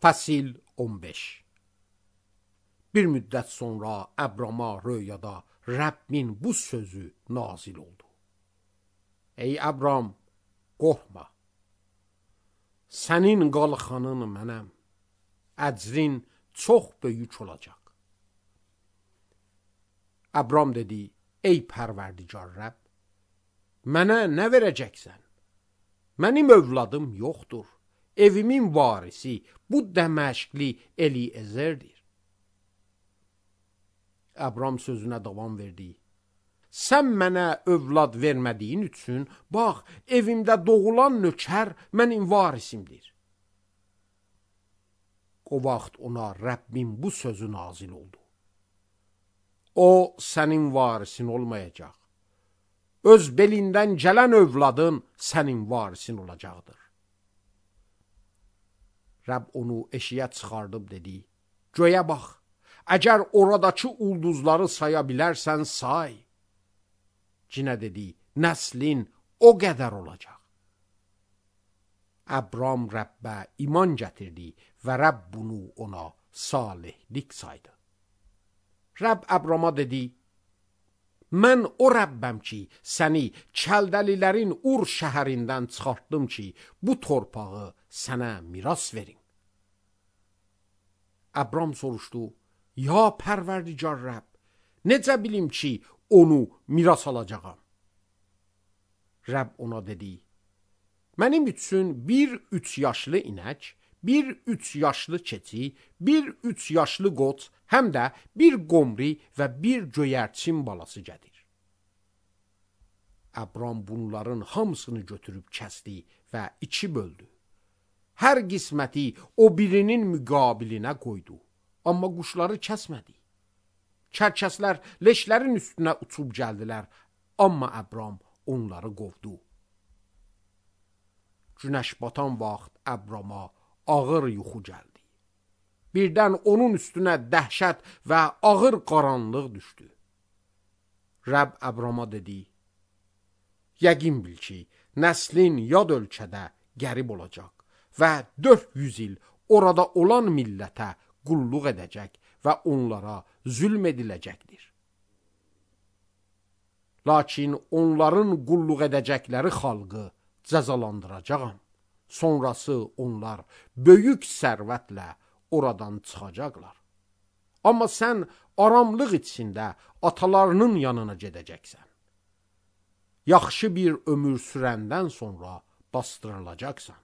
Fəsil 15. Bir müddət sonra Əbrama röyada Rəbbin bu sözü nazil oldu. Ey Əbram, qorxma. Sənin qalxanın mənəm. Əcrin çox böyük olacaq. Əbram dedi, ey pərverdigar Rəbb, mənə nə verəcəksən? Mənim övladım yoxdur. Evimin varisi bu Dəməşqli Eliezerdir. Əbram sözünə davam verdi. Sən mənə övlad vermədiyin üçün, bax, evimdə doğulan nökər mənim varisimdir. O vaxt ona Rəbbin bu sözü nazil oldu. O, sənin varisin olmayacaq. Öz belindən gələn övladın sənin varisin olacaqdır. Rəbb onu eşiyə çıxardıb dedi, göyə bax, əgər oradakı ulduzları saya bilərsən say. Cinə dedi, nəslin o qədər olacaq. Əbram Rəbbə iman gətirdi və Rəbb bunu ona salihlik saydı. Rəbb Əbrama dedi, mən o Rəbbəm ki, səni Kəldəlilərin Ur şəhərindən çıxartdım ki, bu torpağı sənə miras verim. Əbram soruşdu, ya pərverdigar Rəbb, necə bilim ki, onu miras alacağam? Rəbb ona dedi, mənim üçün bir 3 yaşlı inək, bir 3 yaşlı keçi, bir 3 yaşlı qoç, həm də bir qomri və bir göyərçin balası gətir. Əbram bunların hamısını götürüb kəsdi və 2 böldü. Hər qisməti o birinin müqabilinə qoydu, amma quşları kəsmədi. Kərkəslər leşlərin üstünə uçub gəldilər, amma Əbram onları qovdu. Günəş batan vaxt Əbrama ağır yuxu gəldi. Birdən onun üstünə dəhşət və ağır qaranlıq düşdü. Rəbb Əbrama dedi, yəqin bil ki, nəslin yad ölkədə qərib olacaq və 400 il orada olan millətə qulluq edəcək və onlara zülm ediləcəkdir. Lakin onların qulluq edəcəkləri xalqı cəzalandıracağam. Sonrası onlar böyük sərvətlə oradan çıxacaqlar. Amma sən aramlıq içində atalarının yanına gedəcəksən. Yaxşı bir ömür sürəndən sonra bastırılacaqsan.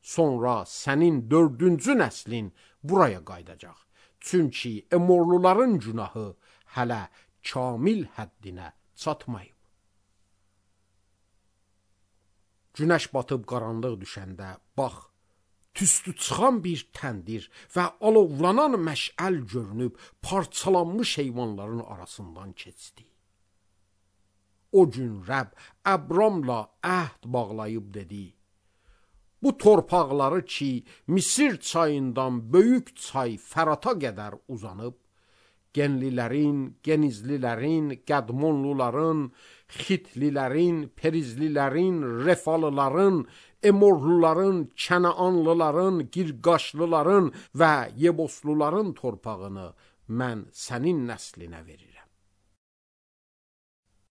Sonra sənin 4-cü nəslin buraya qaydacaq. Çünki Emorluların günahı hələ kamil həddinə çatmayıb. Günəş batıb qaranlıq düşəndə, bax, tüstü çıxan bir təndir və alovlanan məşəl görünüb parçalanmış heyvanların arasından keçdi. O gün Rəbb Əbramla əhd bağlayıb dedi, bu torpaqları ki, Misir çayından böyük çay Fərata qədər uzanıb, Genlilərin, Genizlilərin, Qədmonluların, Xitlilərin, Perizlilərin, Refalıların, Emorluların, Kənaanlıların, Girqaşlıların və Yebosluların torpağını mən sənin nəslinə verir.